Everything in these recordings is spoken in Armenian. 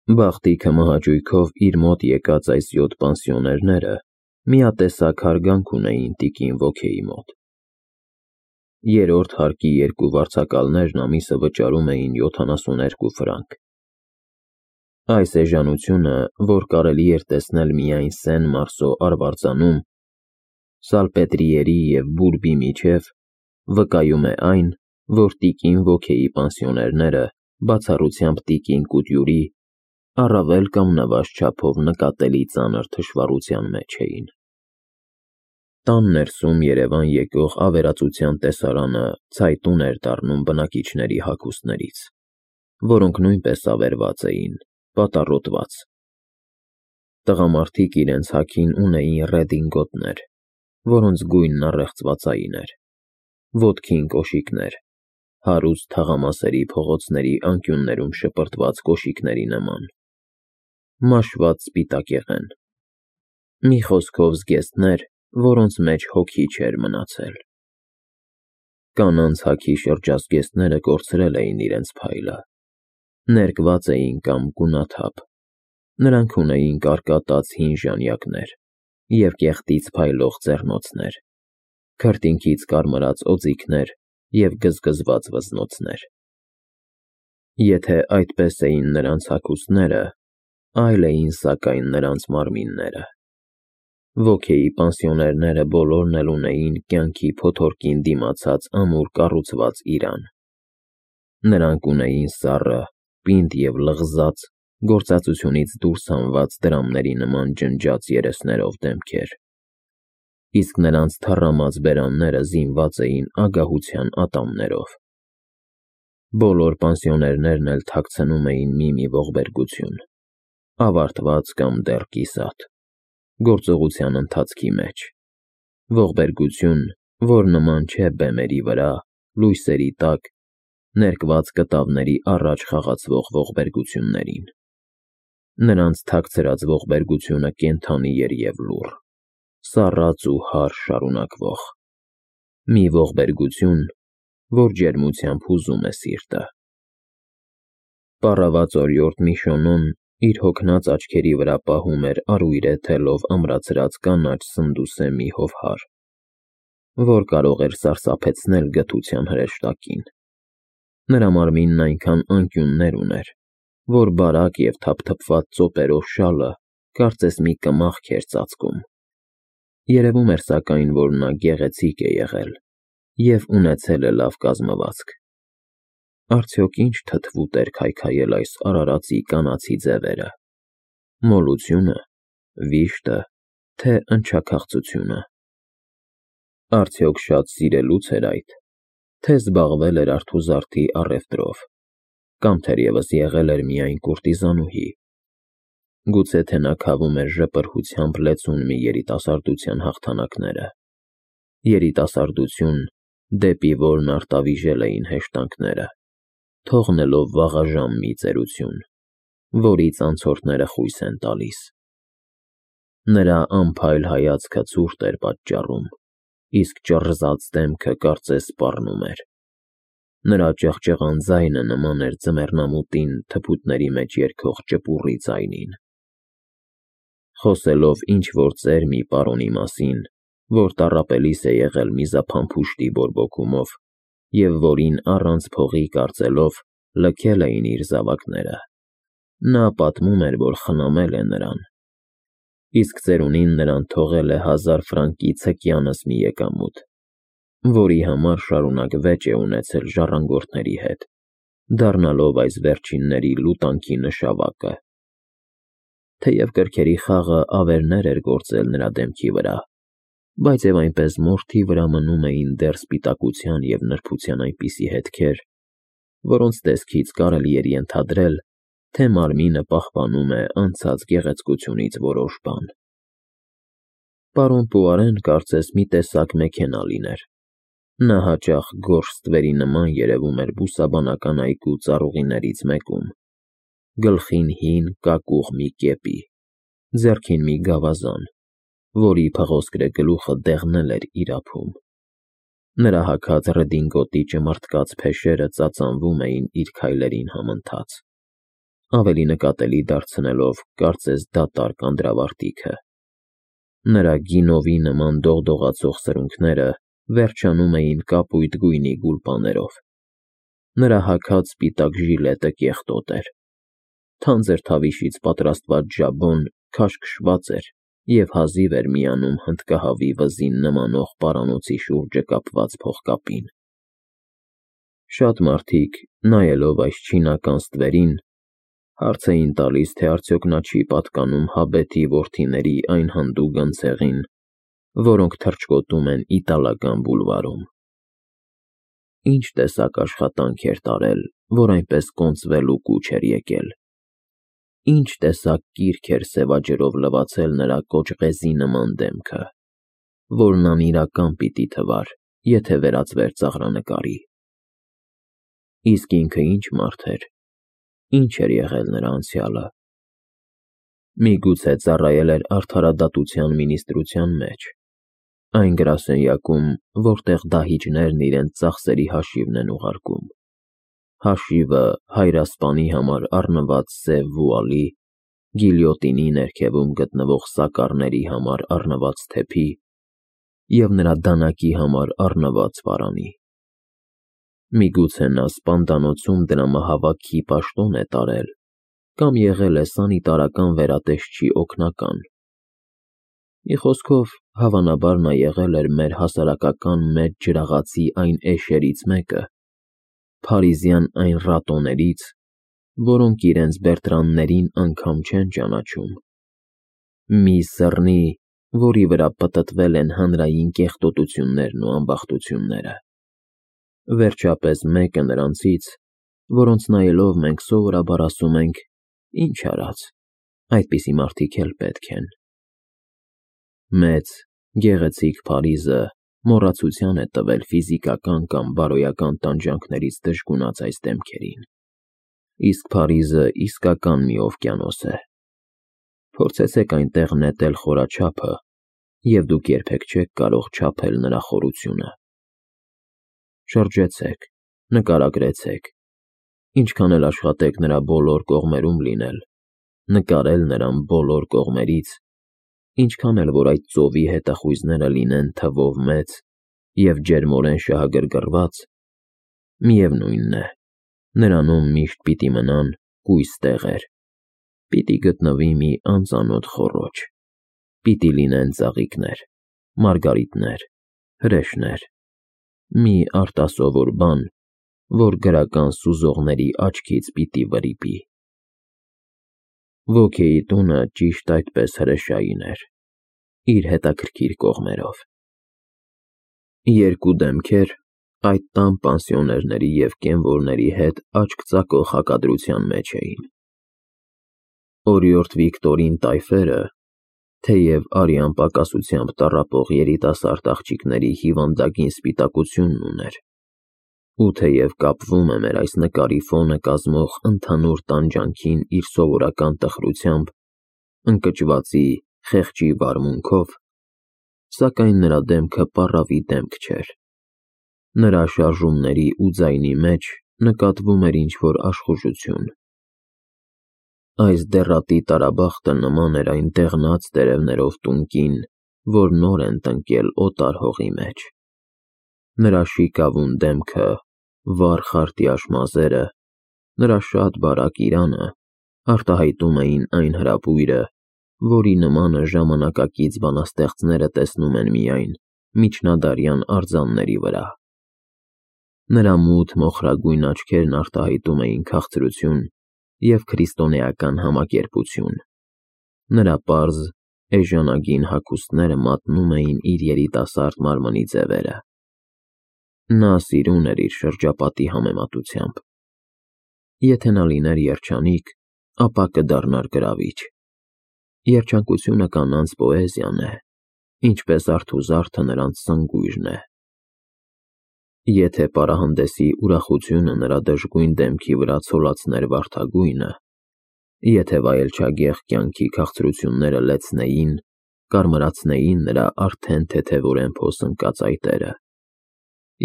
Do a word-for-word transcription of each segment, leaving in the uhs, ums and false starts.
Բախտիքը մահաճույքով իր մոտ եկած այս յոթ պանսիոներները միատեսակ հարգանք ունեին տիկին Ոքեի մոտ։ Երրորդ հարկի երկու վարձակալներն ամիսը վճարում էին յոթանասունութ ֆրանկ։ Այս էժանությունը, որ կարելի էր տեսնել միայն Սեն֊Մարսո արվարձանում, Սալպետրիերի և Բուրբի միջև, վկայում է այն, որ տիկին Ոքեի պանսիոներները, բացառությամբ տիկին Կուտյուրի, առավել կամ նվազ չափով նկատելի ծանր թշվառության մեջ էին։ Տան ներսում երևան եկող ավերածության տեսարանը ցայտուն էր դառնում բնակիչների հագուստներից, որոնք նույնպես ավերված էին, պատառոտված։ Տղամարդիկ իրենց հագին ունեին ռեդինգոտներ, որոնց գույնն առեղծվածային էր, ոտքին կոշիկներ, հարուստ թաղամասերի փողոցների անկյուններում շպրտված կոշիկների նման, մաշված սպիտակեղեն, մի խոսքով զգեստներ, որոնց մեջ հոգի չէր մնացել։ Կանանց հագի շրջազգեստները կորցրել էին իրենց փայլը, ներկված էին կամ գունաթափ, նրանք ունեին կարկատած հին ժանյակներ և կեղտից փայլող ձեռնոցներ, քրտինքից կարմրած օձիքներ և գզգզված վզնոցներ։ Եթե այդպես էին նրանց հագուստները, այլ էին սակայն նրանց մարմինները։ Ոքեի պանսիոներները բոլորն էլ ունեին կյանքի փոթորկին դիմացած ամուր կառուցված իրան։ Նրանք ունեին սառը, պինդ և լղզած, գործածությունից դուրս հանված դրամների նման ջնջած երեսներով դեմքեր, իսկ նրանց թառամած բերանները զինված էին ագահության ատամներով։ Բոլոր պանսիոներներն էլ թաքցնում էին մի-մի ողբերգություն, ավարտված կամ դեռ կիսատ, գործողության ընթացքի մեջ, ողբերգություն, որ նման չէ բեմերի վրա, լույսերի տակ, ներկված կտավների առաջ խաղացվող ողբերգություններին։ Նրանց թաքցրած ողբերգությունը կենդանի էր և լուռ, սառած ու հարր շարունակվող, մի ողբերգություն, որ ջերմությամբ հուզում է սիրտը։ Պառաված օրիորդ Միշոնոն իր հոգնած աչքերի վրա պահում էր արույրե թելով ամրացրած կանաչ սնդուսե մի հովհար, որ կարող էր սարսափեցնել գթության հրեշտակին։ Նրա մարմինն այնքան անկյուններ ուներ, որ բարակ և թափթփված ծոպերով շալը կարծես մի կմախք էր ծածկում։ Երևում էր սակայն, որ նա գեղեցիկ է եղել և ունեցել է լավ կազմվածք։ Արդյոք ինչ թթվուտ էր քայքայել այս արարածի կանացի ձևերը, մոլությունը, վիշտը, թե ընչաքաղցությունը։ Արդյոք շատ սիրելուց էր այդ, թե զբաղվել էր արթուզարդի առևտրով, կամ թերևս եղել էր միայն կուրտիզանուհի։ Գուցե թե նա քավում էր ժպրհությամբ լեցուն մի երիտասարդության հաղթանակները, երիտասարդություն, դեպի որն արտավիժել էին հեշտանքները, թողնելով վաղաժամ մի ծերություն, որից անցորդները խույս են տալիս։ Նրա անփայլ հայացքը ցուրտ էր պատճառում, իսկ ճռզած դեմքը կարծես սպառնում էր։ Նրա ճղճղան ձայնը նման էր ձմեռնամուտին թփուտների մեջ երգող ճպուռի ձայնին։ Խոսելով ինչ-որ ծեր մի պարոնի մասին, որ տառապելիս է եղել միզափամփուշտի բորբոքումով և որին առանց փողի կարծելով լքել էին իր զավակները, նա պատմում էր, որ խնամել է նրան, իսկ ծերունին նրան թողել է հազար ֆրանկի ցկյանս մի եկամուտ, որի համար շարունակ վեճ է ունեցել ժառանգորդների հետ, դառնալով այս վերջինների լուտանքի նշավակը։ Թեև կրքերի խաղը ավերներ էր գործել նրա դեմքի վրա, բայց և այնպես մորթի վրա մնում էին դեռ սպիտակության և նրբության այնպիսի հետքեր, որոնց տեսքից կարելի էր ենթադրել, թե մարմինը պահպանում է անցած գեղեցկությունից որոշ բան։ Պարոն Պուարեն կարծես մի տեսակ մեքենա լիներ։ Նա հաճախ գորշ ստվերի նման երևում էր բուսաբանական այգու ծառուղիներից մեկում, գլխին հին կակուղ մի կեպի, ձեռքին մի գավազան, որի փղոսկրե գլուխը դեղնել էր իր ափում։ Նրա հագած ռեդինգոտի ճմրթկած փեշերը ծածանվում էին իր քայլերին համընթաց։ ավելի նկատելի դարձնելով կարծես դատարկ անդրավարտիքը։ Նրա գինովի նման դողդողացող սրունքները վերջանում էին կապույտ գույնի գուլպաներով։ Նրա հագած սպիտակ ժիլետը կեղտոտ էր։ Թանձր թավիշից պատրաստված ժաբոն քաշքշված էր և հազիվ էր միանում հնդկահավի վզին նմանող պարանոցի շուրջը կապված փողկապին։ Շատ մարդիկ, նայելով այս չինական ստվերին, հարց էին տալիս, թե արդյոք նա չի պատկանում Հաբեթի որդիների այն հանդուգն ցեղին, որոնք թռչկոտում են իտալական բուլվարում։ Ինչ տեսակ աշխատանք էր տարել, որ այնպես կոնծվել ու կուչ էր եկել։ Ինչ տեսակ կիրք էր սևաջրով լվացել նրա կոճղեզի նման դեմքը, որն անիրական պիտի թվար, եթե վերածվեր ծաղրանկարի։ Իսկ ինքը ինչ մարդ էր, ինչ էր եղել նրա անցյալը։ Միգուցե ծառայել էր արդարադատության մինիստրության մեջ, այն գրասենյակում, որտեղ դահիճներն իրենց ծախսերի հաշիվն են ուղարկում, հաշիվը հայրասպանի համար առնված սև վուալի, գիլյոտինի ներքևում գտնվող սակառների համար առնված թեփի և նրա դանակի համար առնված պարանի։ Միգուցե նա սպանդանոցում դրամահավաքի պաշտոն է տարել կամ եղել է սանիտարական վերատեսչի օգնական։ Մի խոսքով, հավանաբար նա եղել էր մեր հասարակական մեծ ջրաղացի այն էշերից մեկը, փարիզյան այն ռատոներից, որոնք իրենց Բերտրաններին անգամ չեն ճանաչում։ Մի սըռնի, որի վրա պտտվել են հանրային կեղտոտություններն ու ամբախտությունները։ Վերջապես մեկը նրանցից, որոնց նայելով մենք սովորաբար ասում ենք. «Ինչ արած, այդպիսի մարդիկ էլ պետք են»։ Մեծ, գեղեցիկ Փարիզը մոռացության է տվել ֆիզիկական կամ բարոյական տանջանքներից դժգունած այս դեմքերին։ Իսկ Փարիզը իսկական մի օվկիանոս է։ Փորձեցեք այնտեղ նետել խորաչափը, և դուք երբեք չեք կարող չափել նրա խորությունը։ Շրջեցեք, նկարագրեցեք, ինչքան էլ աշխատեք նրա բոլոր կողմերում լինել, նկարել նրան բոլոր կողմերից, ինչքան էլ որ այդ ծովի հետախույզները լինեն թվով մեծ և ջերմորեն շահագրգռված, միևնույն է, նրանում միշտ պիտի մնան կույս տեղեր, պիտի գտնվի մի անծանոթ խոռոչ, պիտի լինեն ծաղիկներ, մարգարիտներ, հրեշներ, մի արտասովոր բան, որ գրական սուզողների աչքից պիտի վրիպի։ Ոգեի տունը ճիշտ այդպես հրեշային էր, իր հետաքրքիր կողմերով։ Երկու դեմքեր այդ տան պանսիոներների և կենվորների հետ աչք ծակող հակադրության մեջ էին։ Օրիորդ Վիկտորին տայֆերը, թեև արյան պակասությամբ տառապող երիտասարդ աղջիկների հիվանդագին սպիտակությունն ուներ, ու թեև կապվում է մեր այս նկարի ֆոնը կազմող ընդհանուր տանջանքին իր սովորական տխրությամբ, ընկճվածի, խեղճի վարմունքով, սակայն նրա դեմքը պառավի դեմք չէր։ Նրա շարժումների ու ձայնի մեջ նկատվում էր ինչ-որ աշխուժություն։ Այս դեռատի տարաբախտը նման էր այն դեղնած տերևներով տունկին, որ նոր են տնկել օտար հողի մեջ։ Նրա շիկավուն դեմքը, վառ խարտյաշ մազերը, նրա շատ բարակ իրանը արտահայտում էին այն հրապույրը, որի նմանը ժամանակակից բանաստեղծները տեսնում են միայն միջնադարյան արձանների վրա։ Նրա մութ մոխրագույն աչքերն արտահայտում էին քաղցրություն և քրիստոնեական համակերպություն։ Նրա պարզ, էժանագին հագուստները մատնում էին իր երիտասարդ մարմնի ձևերը։ Նա սիրուն էր իր շրջապատի համեմատությամբ։ Եթե նա լիներ երջանիկ, ապա կդառնար գրավիչ։ Երջանկությունը կանանց պոեզիան է, ինչպես արթուզարդը նրանց սնգույրն է։ Եթե պարահանդեսի ուրախությունը նրա դժգույն դեմքի վրա ցոլացներ վարդագույնը, եթե վայելչագեղ կյանքի քաղցրությունները լեցնեին, կարմրացնեին նրա արդեն թեթևորեն փոսընկած այտերը,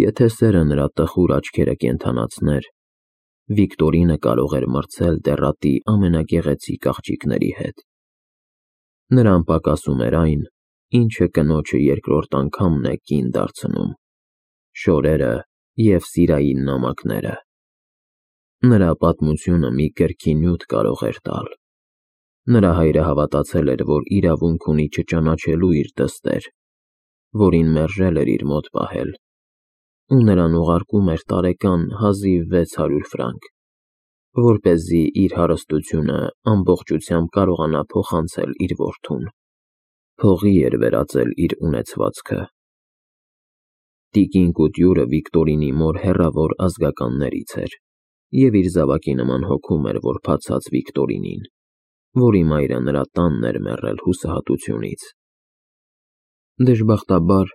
եթե սերը նրա տխուր աչքերը կենդանացներ, Վիկտորինը կարող էր մրցել դեռատի ամենագեղեցիկ աղջիկների հետ։ Նրան պակասում էր այն, ինչը կնոջը երկրորդ անգամն է կին դարձնում՝ շորերը և սիրային նամակները։ Նրա պատմությունը մի կրքի նյութ կարող էր տալ։ Նրա հայրը հավատացել էր, որ իրավունք ունի չճանաչելու իր դստեր, որին մերժել էր իր մոտ պահել, ու նրան ուղարկում էր տարեկան հազիվ վեց հարյուր ֆրանկ, որպեսզի իր հարստությունը ամբողջությամբ կարողանա փոխանցել իր որդուն։ Փողի էր վերածել իր ունեցվածքը։ Տիկին Կուտյուրը Վիկտորինի մոր հեռավոր ազգականներից էր և իր զավակի նման հոգում էր որբացած Վիկտորինին, որի մայրը նրա տանն էր մեռել հուսահատությունից։ Դժբախտաբար,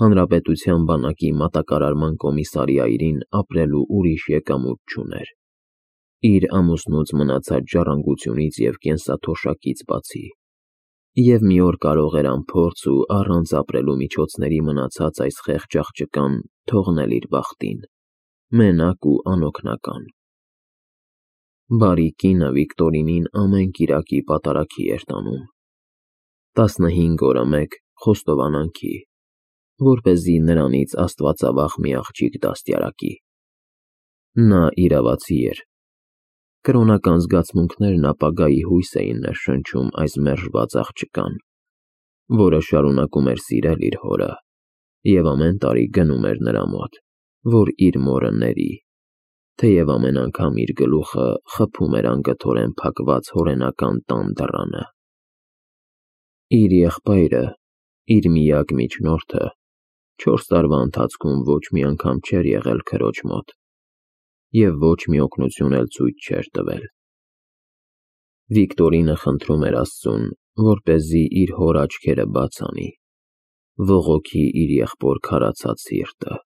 հանրապետության բանակի մատակարարման կոմիսարիայրին ապրելու ուրիշ եկամուտ չուներ, իր ամուսնուց մնացած ժառանգությունից և կենսաթոշակից բացի, և մի օր կարող էր անփորձ ու առանց ապրելու միջոցների մնացած այս խեղճ աղջկան թողնել իր բախտին, մենակ ու անօգնական։ Բարի կինը Վիկտորինին ամեն կիրակի պատարագի էր տանում, տասնհինգ օրը մեկ խոստովանանքի, որպեսզի նրանից աստվածավախ մի աղջիկ դաստիարակի։ Նա իրավացի էր։ Կրոնական զգացմունքներն ապագայի հույս էին ներշնչում այս մերժված աղջկան, որը շարունակում էր սիրել իր հորը և ամեն տարի գնում էր նրա մոտ, որ իր մորը ների, թեև ամեն անգամ իր գլուխը խփում էր անգթորեն փակված հորենական տան դռանը։ Իր եղբայրը, իր միակ միջնորդը, չորս տարվա ընթացքում ոչ մի անգամ չէր եղել քրոջ մոտ և ոչ մի օգնություն էլ ցույց չէր տվել։ Վիկտորինը խնդրում էր Աստծուն, որպեսզի իր հոր աչքերը բաց անի, ողոքի իր եղբոր քարացած սիրտը։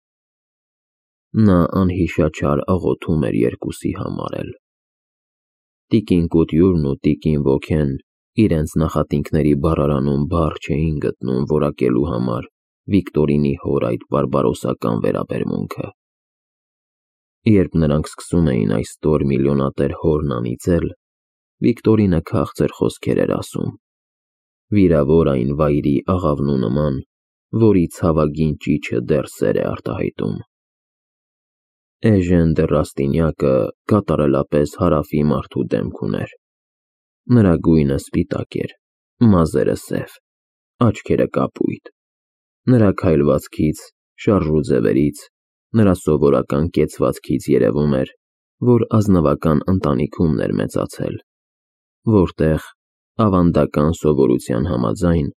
Նա անհիշաչար աղոթում էր երկուսի համար էլ։ Տիկին Կուտյուրն ու տիկին Ոգեն իրենց նախատինքների բառարանում բառ չէին գտնում որակելու համար Վիկտորինի հոր այդ բարբարոսական վերաբերմունքը։ Երբ նրանք սկսում էին այս ստոր միլիոնատեր հորն անիծել, Վիկտորինը քաղցր խոսքեր էր ասում, վիրավոր այն վայրի աղավնու նման, որի ցավագին ճիչը դեռ սեր է արտահայտում։ Էժեն դը Ռաստինյակը կատարելապես հարավի մարդու դեմք ուներ։ Նրա գույնը սպիտակ էր, մազերը սև, աչքերը կապույտ։ Նրա քայլվածքից, շարժու ձևերից, նրա սովորական կեցվածքից երևում էր, որ ազնվական ընտանիքումն էր մեծացել, որտեղ, ավանդական սովորության համաձայն,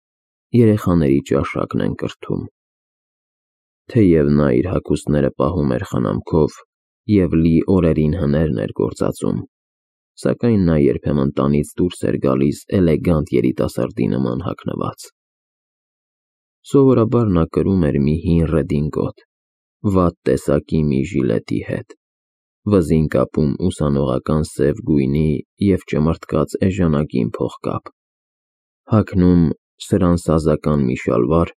երեխաների ճաշակն են կրթում։ Թեև նա իր հագուստները պահում էր խնամքով և լի օրերին հներն էր գործածում, սակայն նա երբեմն տանից դուրս էր գալիս էլեգանտ երիտասարդի նման հագնված։ Սովորաբար նա կրում էր մի հին ռեդինգոտ, վատ տեսակի մի ժիլետի հետ, վզին կապում ուսանողական սև գույնի և ճմրթկած էժանագին փողկապ, հագնում սրանսազական մի շալվար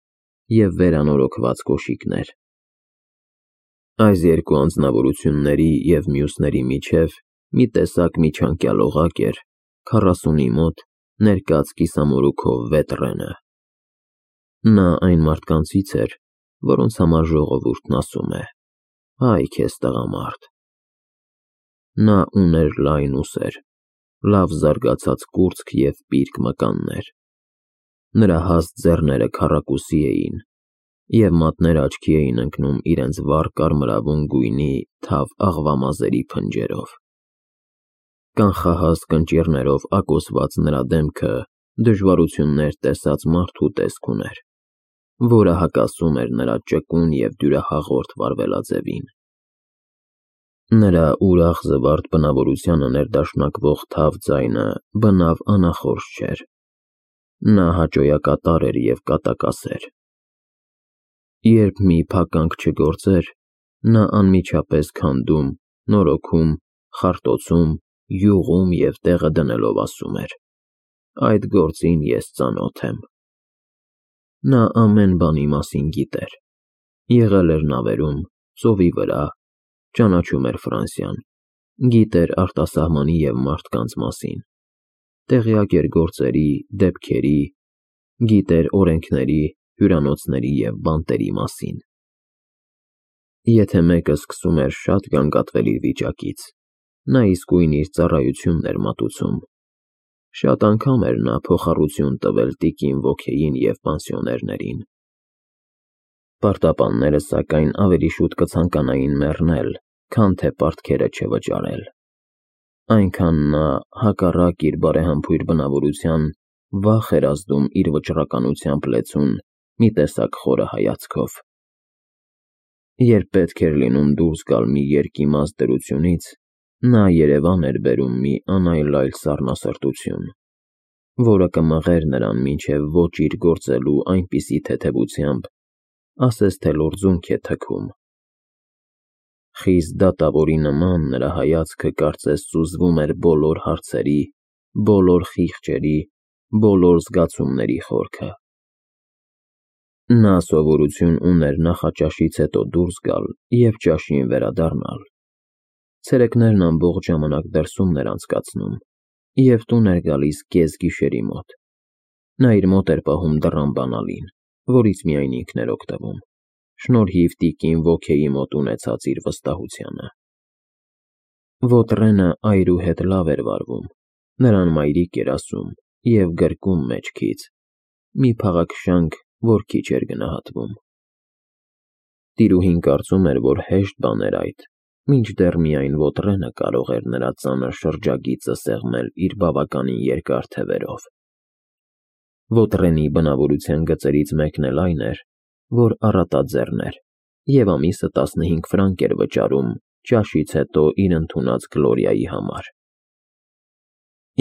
և վերանորոգված կոշիկներ։ Այս երկու անձնավորությունների և մյուսների միջև մի տեսակ միջանկյալ օղակ էր քառասունի մոտ ներկած կիսամորուքով Վետրենը։ Նա այն մարդկանցից էր, որոնց համար ժողովուրդն ասում է. «Այ քեզ տղամարդ»։ Նա ուներ լայն ուսեր, լավ զարգացած կուրծք և պիրկ մկաններ։ Նրա հաստ ձեռները քառակուսի էին, և մատները աչքի էին ընկնում իրենց վառ կարմրավուն գույնի թավ աղվամազերի փնջերով։ Կանխահաստ կնճիռներով ակոսված նրա դեմքը դժվարություններ տեսած մարդու տեսք ուներ, որը հակասում էր նրա ճկուն և դյուրահաղորդ վարվելաձևին։ Նրա ուրախ զվարթ բնավորությանը ներդաշնակվող թավ ձայնը բնավ անախորժ չէր։ Նա հաճոյակատար էր և կատակասեր։ Երբ մի փականք չգործեր, նա անմիջապես քանդում, նորոգում, խարտոցում, յուղում և տեղը դնելով ասում էր. «Այդ գործին ես ծանոթ եմ»։ Նա ամեն բանի մասին գիտեր։ Եղել էր նավերում, ծովի վրա, ճանաչում էր Ֆրանսիան, Գիտեր արտասահմանի և մարդկանց մասին, տեղյակ էր գործերի, դեպքերի, գիտեր օրենքների, հյուրանոցների և բանտերի մասին։ Եթե մեկը սկսում էր շատ գանգատվել իր վիճակից, նա իսկույն իր ծառայությունն էր մատուցում։ Շատ անգամ էր նա փոխառություն տվել տիկին Ոքեյին և պանսիոներներին։ Պարտապանները, սակայն, ավելի շուտ կցանկանային մեռնել, քան թե պարտքերը չվճարել։ Այնքան նա, հակառակ իր բարեհամբույր բնավորության, վախ էր ազդում իր վճռականությամբ լեցուն մի տեսակ խորը հայացքով։ Երբ պետք էր լինում դուրս գալ մի երկիմաց դրությունից, նա երևան էր բերում մի անայլայլ սառնասրտություն, որը կմղեր նրան մինչև ոչ իր գործելու այնպիսի թեթևությամբ, ասես թե լորձունք է թքում։ Խիստ դատավորի նման նրա հայացքը կարծես սուզվում էր բոլոր հարցերի, բոլոր խիղճերի, բոլոր զգացումների խորքը։ Նա սովորություն ուներ նախաճաշից հետո դուրս գալ և ճաշին վերադառնալ։ Ցերեկներն ամբողջ ժամանակ դրսումն էր անցկացնում և տուն էր գալիս կեսգիշերի մոտ։ Նա իր մոտ էր պահում դռան բանալին, որից միայն ինքն էր օգտվում, շնորհիվ տիկին Ոքեյի մոտ ունեցած իր վստահությանը։ Ոտրենը այրու հետ լավ էր վարվում, նրան մայրիկ էր ասում և գրկում մեջքից, մի փաղաքշանք, որ քիչ էր գնահատվում։ Տիրուհին կարծում էր, որ հեշտ բան էր այդ, մինչդեռ միայն Ոտրենը կարող էր նրա ծանր շրջագիծը սեղմել իր բավականին երկար թևերով։ Ոտրենի բնավորության գծերից մեկն էլ այն էր, որ առատաձեռն էր և ամիսը տասնհինգ ֆրանկ էր վճարում ճաշից հետո իր ընդունած Գլորիայի համար։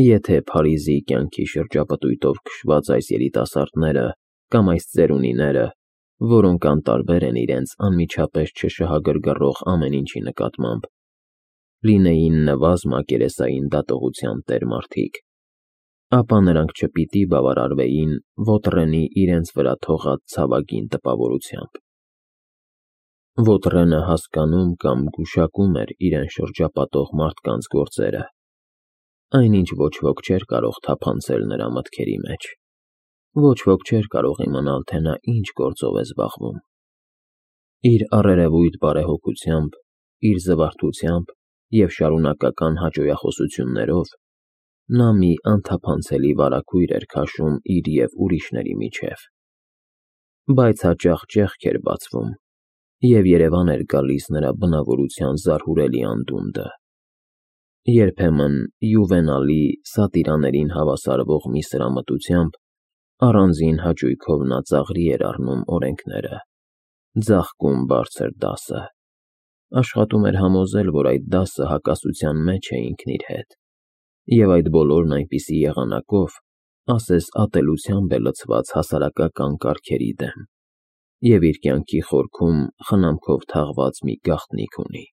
Եթե Փարիզի կյանքի շրջապտույտով քշված այս երիտասարդները կամ այս ծերունիները, որոնք անտարբեր են իրենց անմիջապես չշահագրգռող ամեն ինչի նկատմամբ, լինեին նվազ մակերեսային դատողության տեր մարդիկ, ապա նրանք չպիտի բավարարվեին Ոտրենի իրենց վրա թողած ցավագին տպավորությամբ։ Ոտրենը հասկանում կամ գուշակում էր իրեն շրջապատող մարդկանց գործերը, այնինչ ոչ ոք չէր կարող թափանցել նրա մտքերի մեջ, ոչ ոք չէր կարող իմանալ, թե նա ինչ գործով է զբաղվում։ Իր առերևույթ բարեհոգությամբ, իր զվարթությամբ և շարունակական հաճոյախոսություններով նա մի անթափանցելի վարագույր էր քաշում իր և ուրիշների միջև։ Բայց հաճախ ճեղք էր բացվում, և երևան էր գալիս նրա բնավորության զարհուրելի անդունդը։ Երբեմն յուվենալի, սատիրաներին հավասարվող մի սրամտությամբ առանձին հաճույքով նա ծաղրի էր առնում օրենքները, ձաղկում բարձր դասը, աշխատում էր համոզել, որ այդ դասը հակասության մեջ է ինքն իր հետ, և այդ բոլորն այնպիսի եղանակով, ասես ատելությամբ է լցված հասարակական կարգերի դեմ և իր կյանքի խորքում խնամքով թաղված մի գաղտնիք ունի։